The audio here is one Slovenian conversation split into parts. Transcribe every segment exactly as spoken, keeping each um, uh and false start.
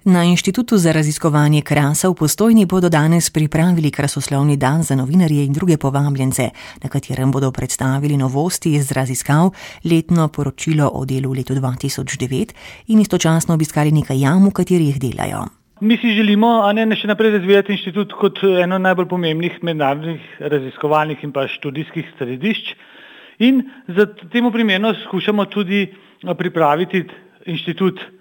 Na Inštitutu za raziskovanje krasa v Postojni bodo danes pripravili krasoslovni dan za novinarje in druge povabljence, na katerem bodo predstavili novosti iz raziskav, letno poročilo o delu v letu dva tisoč devet in istočasno obiskali nekaj jam, v katerih delajo. Mi si želimo, a ne, še naprej razvijati inštitut kot eno najbolj pomembnih mednarodnih raziskovalnih in pa študijskih središč in za temu primerno skušamo tudi pripraviti inštitut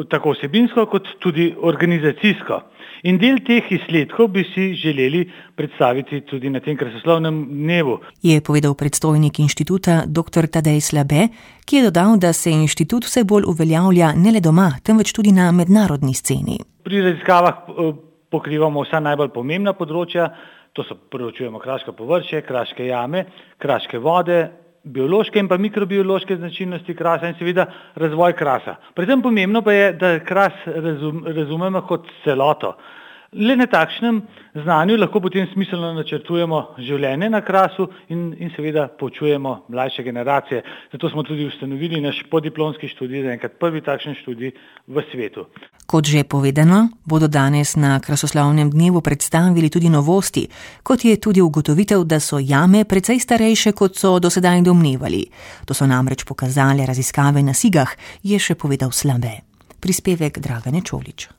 tako vsebinsko kot tudi organizacijsko. In del teh izsledkov bi si želeli predstaviti tudi na tem krasoslovnem dnevu. Je povedal predstojnik inštituta doktor Tadej Slabe, ki je dodal, da se inštitut vse bolj uveljavlja ne le doma, temveč tudi na mednarodni sceni. Pri raziskavah pokrivamo vsa najbolj pomembna področja, to so proučujemo kraško površje, kraške jame, kraške vode, biološke in pa mikrobiološke značilnosti krasa in seveda razvoj krasa. Predvsem pomembno pa je, da kras razum, razumemo kot celoto. Le na takšnem znanju lahko potem smiselno načrtujemo življenje na krasu in, in seveda poučujemo mlajše generacije. Zato smo tudi ustanovili naš podiplomski študij, zaenkrat prvi takšen študij v svetu. Kot že povedano, bodo danes na krasoslovnem dnevu predstavili tudi novosti, kot je tudi ugotovitev, da so jame precej starejše, kot so dosedaj domnevali. To so namreč pokazale raziskave na Sigah, je še povedal Slabe. Prispevek Dragane Čolič.